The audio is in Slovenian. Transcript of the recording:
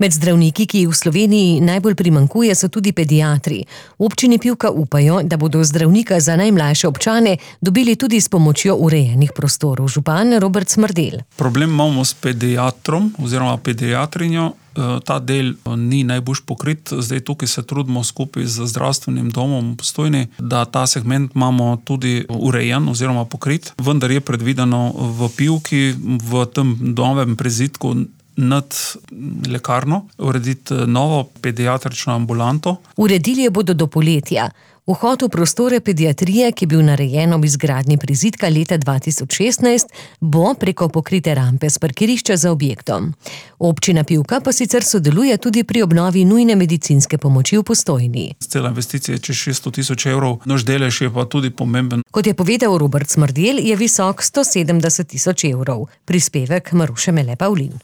Med zdravniki, ki jih v Sloveniji najbolj primanjkuje, so tudi pediatri. V občini Pivka upajo, da bodo zdravnika za najmlajše občane dobili tudi s pomočjo urejenih prostorov. Župan Robert Smrdelj. Problem imamo s pediatrom oziroma pediatrinjo. Ta del ni najbolj pokrit. Zdaj tukaj se trudimo skupaj z zdravstvenim domom v Postojni, da ta segment imamo tudi urejen oziroma pokrit. Vendar je predvideno v Pivki, v tem novem prizidku nad lekarno, urediti novo pediatrično ambulanto. Uredili jo bodo do poletja. Vhod v prostore pediatrije, ki je bil narejen ob izgradnji prizidka leta 2016, bo preko pokrite rampe s parkirišča za objektom. Občina Pivka pa sicer sodeluje tudi pri obnovi nujne medicinske pomoči v Postojni. Cela investicija je čez 600 000 evrov, naš delež je pa tudi pomemben. Kot je povedal Robert Smrdelj, je visok 170 000 evrov. Prispevek Maruše Mele Pavlin.